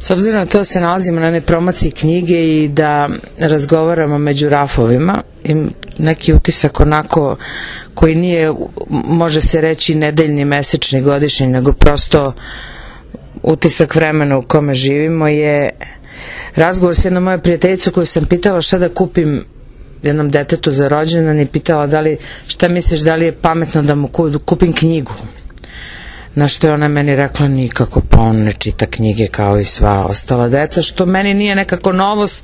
S obzirom na to da se nalazimo na nepromociji knjige i da razgovaramo među rafovima, i neki utisak onako koji nije, može se reći, nedeljni, mesečni, godišnji, nego prosto utisak vremena u kome živimo, je razgovor s jednom moje prijateljicu koju sam pitala šta da kupim jednom detetu za rođendan i pitala šta misliš, da li je pametno da mu kupim knjigu. Na što je ona meni rekla, nikako, pa on ne čita knjige kao i sva ostala deca, što meni nije nekako novost.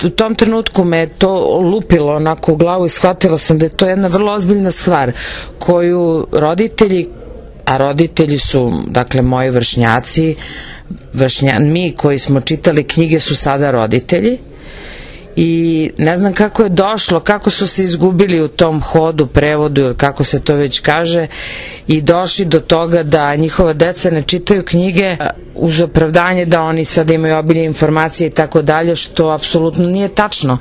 U tom trenutku me je to lupilo onako u glavu i shvatila sam da je to jedna vrlo ozbiljna stvar koju roditelji, a roditelji su, dakle, moji vršnjaci, mi koji smo čitali knjige su sada roditelji, i ne znam kako je došlo, kako su se izgubili u tom hodu, prevodu ili kako se to već kaže, i došli do toga da njihova deca ne čitaju knjige uz opravdanje da oni sada imaju obilje informacije i tako dalje, što apsolutno nije tačno,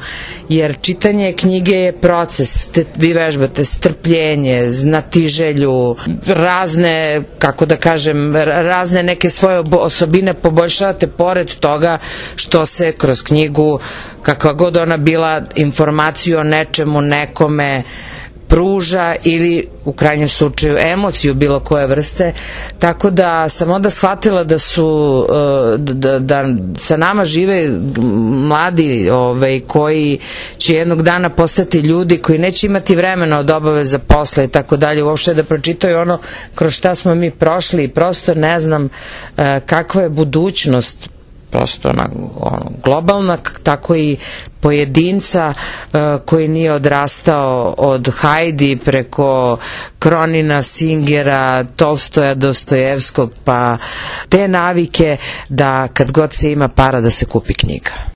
jer čitanje knjige je proces, vi vežbate strpljenje, znatiželju, razne, kako da kažem, razne neke svoje osobine poboljšavate pored toga što se kroz knjigu, kakva god ona bila, informaciju o nečemu, nekome pruža, ili u krajnjem slučaju emociju bilo koje vrste. Tako da sam onda shvatila da sa nama žive mladi koji će jednog dana postati ljudi koji neće imati vremena od obaveza posla i tako dalje, uopšte da pročitaju ono kroz šta smo mi prošli, i prosto ne znam kakva je budućnost, prosto globalna, tako i pojedinca koji nije odrastao od Hajdi preko Kronina, Singera, Tolstoja, Dostojevskog, pa te navike da kad god se ima para da se kupi knjiga.